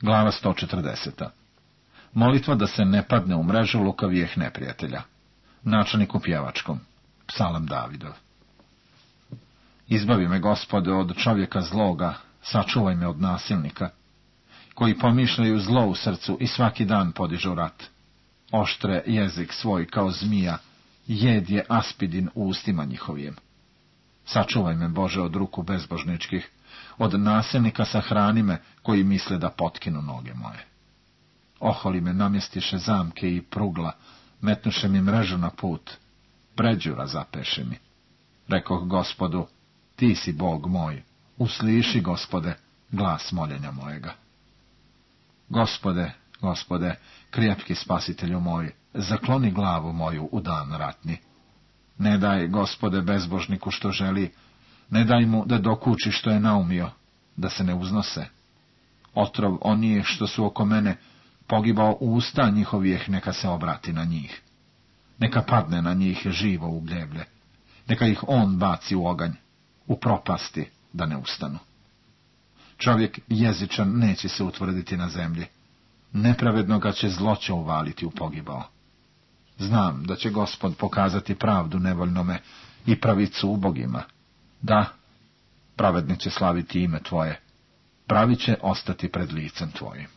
Glava 140. Molitva da se ne padne u mrežu lukavijeh neprijatelja. Načelnik u pjevačkom. Psalam Davidov. Izbavi me, Gospode, od čovjeka zloga, sačuvaj me od nasilnika, koji pomišljaju zlo u srcu i svaki dan podižu rat. Oštre jezik svoj kao zmija, jed je aspidin u ustima njihovijem. Sačuvaj me, Bože, od ruku bezbožničkih, od nasilnika sahrani me, koji misle da potkinu noge moje. Oholi me namjestiše zamke i prugla, metnuše mi mrežu na put, pređura zapeše mi. Rekoh Gospodu, ti si Bog moj, usliši, Gospode, glas moljenja mojega. Gospode, Gospode, krepki spasitelju moj, zakloni glavu moju u dan ratni. Ne daj, Gospode, bezbožniku što želi, ne daj mu da dokuči što je naumio, da se ne uznose. Otrov onih što su oko mene, pogibao u usta njihovijeh, neka se obrati na njih. Neka padne na njih živo u gljeblje, neka ih on baci u oganj, u propasti, da ne ustanu. Čovjek jezičan neće se utvrditi na zemlji, nepravednoga će zloće uvaliti u pogibao. Znam da će Gospod pokazati pravdu nevoljnome i pravicu ubogima. Da, pravedni će slaviti ime Tvoje, pravi će ostati pred licem Tvojim.